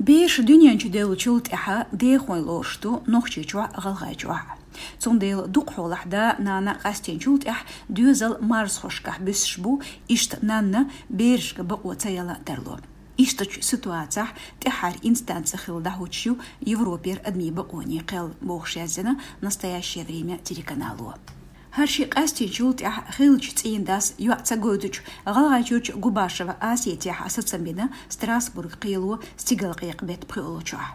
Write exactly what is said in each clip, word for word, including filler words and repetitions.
Бераш дуьнен чу девллачул тӀаьхьа дехойн лоруш ду Нохчийчохь а, ГӀалгӀайчохь а. Цундела дукха хьолахь да-нана къастийначул тӀаьхьа доьзал марзхошкахь буьссуш бу, иштта нанна берашка бакъо ца яла тарло. Ишттачу ситуацехь тӀаьххьара инстанци хилла дӀахьочуш ю Европера адамийн бакъонийн кхел, бохуш яздина «Настоящее время» телеканало. ХӀара шиъ къастийначул тӀаьхьа хиллачу цӀийнан дас йоӀ ца гойтучу ГӀалгӀайчуьрчу Губашева Асетехь сацам бина Страсбург кхело стигалкъекъа-бетт пхоьалгӀачохь.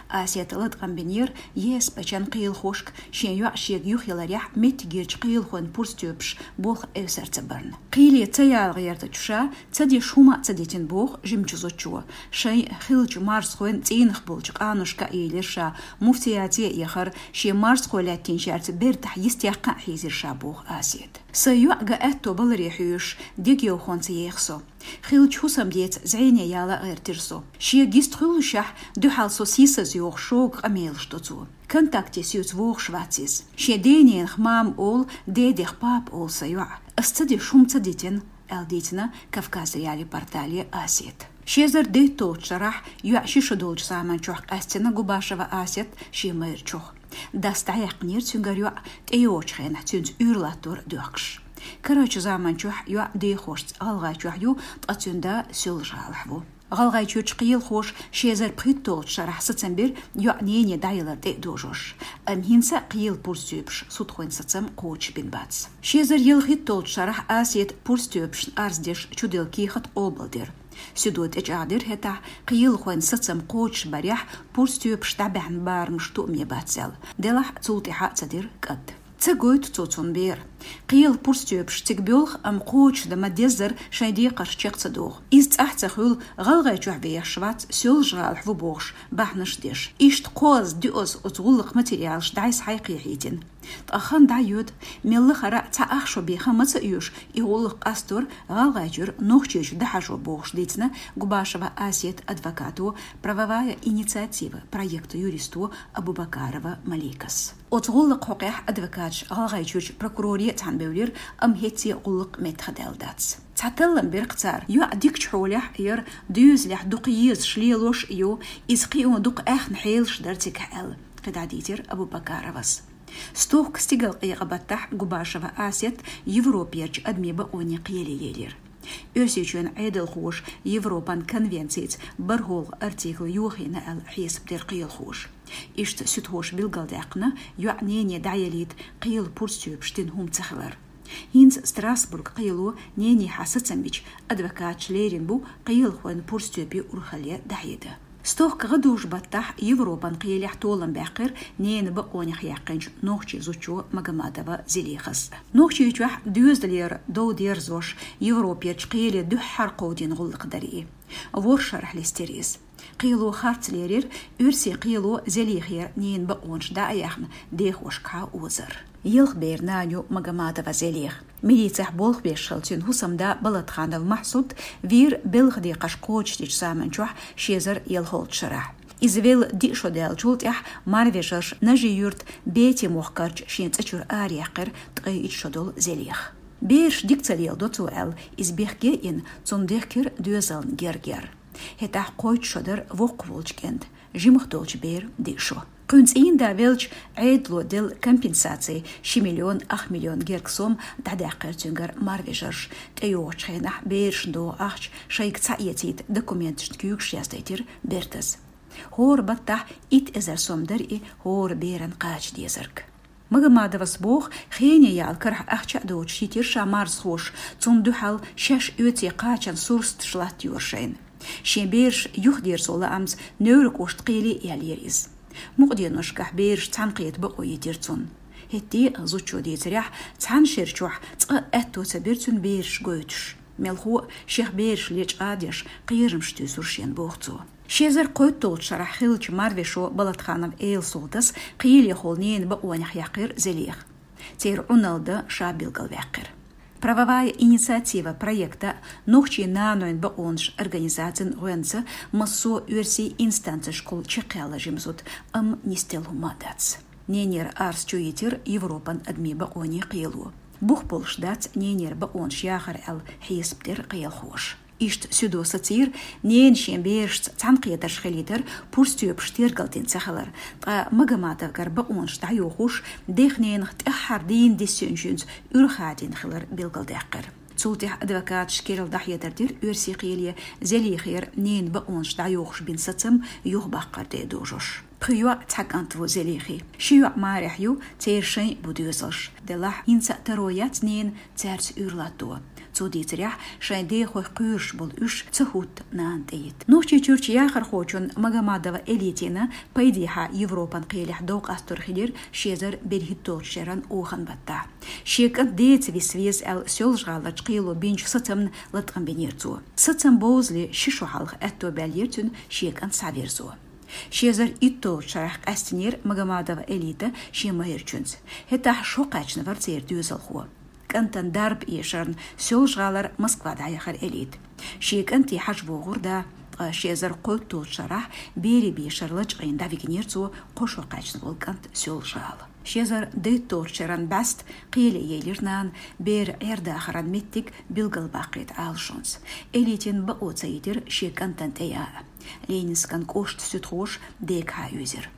Асета латкъам бинера ЕСПЧ-н кхелахошка шен йоӀ шега юхаяларехь меттигерчу кхелахойн пурстоьпаш болх эвсар ца барна. Кхеле ца яла гӀертачу ша ца деш хӀума а ца дитина, боху жимачу зудчо. Шайн хиллачу марзхойн цӀийнах болчу къаношка а елира ша, муфтияте а яхара, шен марзхой лаьттинчаьрца бертахь йистехь а хьийзира ша, боху Асета. Сайн йоӀ ган аьтто баларе хьоьжуш, дегайовхонца еха со. Хиллачу хӀусамдеца зӀене яла а гӀертира со. Шега йист хуьллушехь, дуьхьал со сийсаз йоху шога къамелаш до цо. Контакте соьца вогӀуш вац иза. Шен дененах мама олу, дедех папа олу сан йоӀа. Ас ца деш хӀума ца дитина, аьлла дийцина Кавказ.Реалии портале Асета. Ши эзар дейтталгӀачу шарахь йоӀ ши шо долчу заманчохь къаьстина Губашева Асет шен майрачух. Дас дӀаяьккхинера цуьнгара йоӀ, тӀейогӀучу хенахь цуьнца уьйр латтор а доьхкуш. Карарчу заманчохь йоӀ дехошца ГӀалгӀайчохь ю, ткъа цуьнан да Соьлжа-ГӀалахь ву. ГӀалгӀайчуьрчу кхелахоша ши эзар пхийтталгӀачу шарахь сацам бира йоӀ нене дӀаялар тӀе а дожош. Амма хӀинца а кхелан пурстоьпаша судхойн сацам кхочушбина бац. Ши эзар ялхитталгӀачу шарахь Асета пурстоьпашна арз деш чуделла кехат къобалдира. Судо тӀечӀагӀдира хӀетахь, кхелахойн сацам кхочушбарехь пурстоьпаш дӀабаьхьна барамаш тоъаме бац аьлла. Делахь а цул тӀаьхьа а ца дира кӀант. Ца гойту цо цунна бер. Кхелан пурстоьпаш цига боьлху, амма кхочушдан ма-деззара шайн декхарш чекх ца доху. Иза цӀахь ца хуьлу, ГӀалгӀайчохь вехаш вац, Соьлжа-ГӀалахь ву бохуш, бахьанаш деш. Иштта кхозза, доьазза оцу гӀуллакхан материалаш дӀасхьа а кхехьийтина. Ткъа хан дӀайоьду, мелла а хӀара цхьа ах шо бен хан ма ца оьшу, и гӀуллакх къастор ГӀалгӀайчуьра Нохчийчу дӀахьажо, бохуш дийцина Губашева Асетан адвокато, «Правовая инициатива» проектан юристо Абубакарова Маликас. Оцу гӀуллакхан хьокъехь адвокаташ ГӀалгӀайчуьрчу прокуроре а цхьаьна бевлира, амма хӀетте а гӀуллакх меттахдаьлла дац. Цхьа таллам бира-кх цара: йоӀ дикачу хьолехь а яра, доьзалехь дукха езаш, лелош а ю, иза кхио дукха аьхна хьелаш дара цигахь аьлла, кхидӀа дийцира Абубакаровас. Стохка стигалкъекъа-баттахь Губашева Асет Европерчу адамийн бакъонийн кхеле елира. Оьрсийчоьнан Ӏедалхоша Европан конвенцица бархӀалгӀа артикл йохийна аьлла хьесап дира кхелахоша. Иштта суьдхоша билгалдаьккхина, йоӀ нене дӀаялийта кхелан пурстоьпаша дина хӀума ца хилар. ХӀинца Страсбург кхело ненехьа сацам бича, адвокаташ лерина бу кхелахойн пурстоьпийн урхалле дӀахьеда. Стохка гӀадужу-баттахь Европан кхелехь толам баьккхира ненан бакъонех яьккхинчу нохчийн зудчо Магомадова Зелихас. Нохчийчохь доьзалера дов дерзош Европерчу кхеле дуьххьара кховдийна гӀуллакх дара и. ВорхӀ шарахь листира иза. Кхело харц лерира, оьрсийн кхело Зелихера ненан бакъонаш дӀа а яьхна, дехошкахьа озар. Ялх беран нана ю Магомадова Зелиха. Милицехь болх беш хилла цуьнан хӀусамда Балатханов Махьсуд вийра белхан декхарш кхочушдечу заманчохь ши эзар ялхолгӀачу шарахь. Иза велла диъ шо даьллачул тӀаьхьа марвежарша Нажи-Юьртан Бети мохкарчу шен цӀа чуьра араяьккхира ткъе итт шо долу Зелиха. Бераш дика ца леладо цо аьлла, иза бехке а йина, цунна дехкира доьзална герга яр. ХӀетахь кхойтта шо дара воккхах волчу кӀентан, жимах долчу беран диъ шо. Кхуьнан цӀийнда велча, Ӏедало делла компенсаци ши миллион ах миллион герга сом дӀадаьккхира цуьнгара марвежарша, тӀейогӀучу хенахь берашна догӀу ахча шайга ца эцийта документашна куьйгаш яздайтира бертаза. ХӀора баттахь итт эзар сом дара и хӀора беран кхача дезарг. Магомадовас боху, хене яла карахь ахча а доцуш йитира ша марзхоша, цунна дуьхьал шаьш оьцу кхачан сурсаташ латтайора шайна. Шен бераш юхадерзо лаамца Невран кӀоштан кхеле а яьллера иза. Мукъа деношкахь бераш цхьаьнакхета бакъо йитира цунна. ХӀетте а, зудчо дийцарехь, цхьана шера чохь цкъа а аьтто ца бира цуьнан бераш гойтуш. Мелхо а шех бераш лечкъа а деш, кхерамаш туьйсура шена, боху цо. Ши эзар кхойтталгӀачу шарахь хиллачу марвешо Балатханов Эла-СолтӀас кхелехула ненан бакъонех яьккхира Зелиха. Церан Ӏуналла дан ша билгалваьккхира. «Правовая инициатива» проекта, нохчийн нанойн бакъонаш организацин гӀоьнца массо а оьрсийн инстанцешкахула чекхъяьлла жима зуда, амма нисделла хӀума а дац. Ненера арз чуйитира Европан адамийн бакъонийн кхело. Бух болуш дац ненера бакъонаш яхар аьлла, хьесап дира кхелахоша. Иштта Сюдо сацийра ненан шен берашца цхьаьнакхетарш хилийтар пурстоьпаш тергалдина ца хилар, ткъа Магомадовгара бакъонаш дӀайохош, дех-ненах тӀаьххьара дийна диссинчуьнца уьрхӀадийна хилар билгалдаьккхира. Цул тӀехьа адвокаташ керла дӀахьедар дира оьрсийн кхеле Зелихера ненан бакъонаш дӀайохош бина сацам юхабаккхар де дожош. Пхи йоӀ, цхьа кӀант ву Зелихи. Ши йоӀ марехь ю, церан шайн а бу доьзалш. Делахь хӀинца а таро яц ненан цаьрца уьйр латто. Цо дийцарехь, шайн дехойх кхоьруш болу уьш ца хӀутту нана тӀейитта. Нохчийчуьрчу яхархочун Магомадова Элитина пайдехьа Европан кхелехь дов къастор хилира ши эзар берхӀитталгӀачу шеран охан баттахь. Шен кӀант деца виса веза аьлла, Соьлжа-ГӀаларчу кхело бинчу сацамна латкъам бинера цо. Сацам бовзале ши шо хьалха аьтто баьллера цуьнан шен кӀант схьаверзо. Ши эзар итталгӀачу шарахь къаьстинера Магомадова Элита шен майрачуьнца. ХӀетахь шо кхаьчна вара церан доьзалхо. КӀантана дарба эшарна Соьлжа-ГӀалара Москва дӀаяхара Элита. Шен кӀанте хьажа вогӀура да, ткъа ши эзар кхойтталгӀачу шарахь берийн бешара лачкъийна дӀавигнера цо кхо шо кхаьчна волу кӀант Соьлжа-ГӀала. Ши эзар дейтталгӀачу шеран бӀаьста кхеле елира нана, бер Ӏер-дахаран меттиг билгалбаккхийта Ӏалашонца. Элитина бакъо ца йитира шен кӀантана тӀе яа. Ленинскан кӀоштан суьдхоша дега хьаьвзира.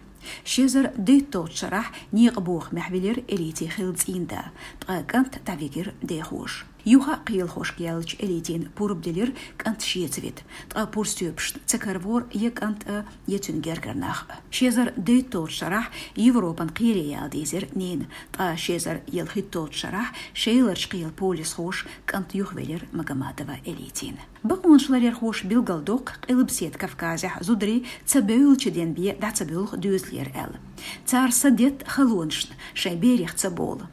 Ши эзар дейтталгӀачу шарахь некъан бохамехь вилира Элитин хилла цӀийнда, ткъа кӀант дӀавигира дехоша. Юха а кхелахошка яьллачу Элитина пурба делира кӀант шеца вита, ткъа пурстоьпашна ца каравора я кӀант а, я цуьнан гергара нах а. Ши эзар дейтталгӀачу шарахь Европан кхеле яла дийзира нена, ткъа ши эзар ялхитталгӀачу шарахь Шеларчу кхелан полисхоша кӀант юхавелира Магомадова Элитина. Бакъонашларъярхоша билгалдоккху Къилбаседа Кавказехь зударий ца бевллачу денбе дӀа ца боьлху доьзалера аьлла. Цара са детта халонашна, шайн берех ца болу.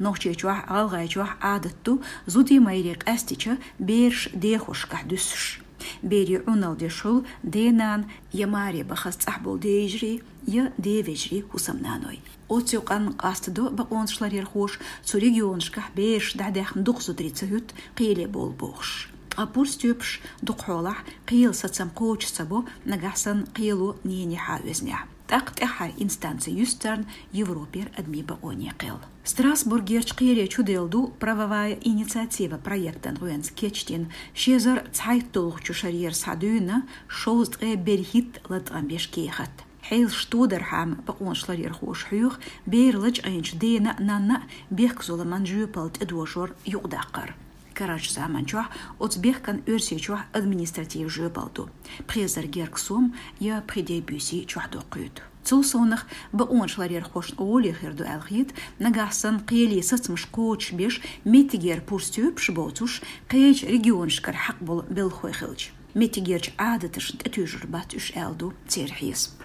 Нохчийчохь, ГӀалгӀайчохь Ӏадат ду, зудий, майрий къаьстича, бераш дехошкахь дуьссуш. Берийн Ӏуналла деш хуьлу ден-нана я маре бахаза цӀахь болу ден-йижарий, я ден-вежарий хӀусамнаной. Оцу юкъанна къастадо бакъонашларъярхоша цу регионашкахь бераш дӀадаьхна дукха зударий ца хӀуьтту кхеле болу бохуш. Ткъа пурстоьпаш дукха хьолахь кхелан сацам кхочуш ца бо, нагахь санна кхело нене хьаоьзинехь. ТӀаккха тӀаьххьара инстанци юьсу царна Европера адамийн бакъонийн кхел. Страсбургерчу кхеле чуделла ду «Правовая инициатива» проектан гӀоьнца кечдина ши эзар цхьайтталгӀачу шарера схьадуьйна шовзткъе берхӀитта латкъам беш кехат. Хьелаш тодархьама бакъонашларъярхоша хьоьху бер лачкъийначу дена а, нанна а бехказуламан жоьпалла тӀедожор юкъадаккхар. Карарчу заманчохь оцу бехкана Оьрсийчохь административан жоьпалла ду, пхи эзар гергга сом я пхи ден буьйсий чохьдоккхуьйту. Цул совнах бакъонашларъярхошна гӀоле хир ду аьлла хета, нагахь санна кхеле сацамаш кхочушбеш меттигера пурстоьпаш боцуш, кхечу регионашкара хьакъ болу белхахой хилча. Меттигерчу Ӏадаташна тӀетуьйжур бац уьш аьлла ду церан хьесап.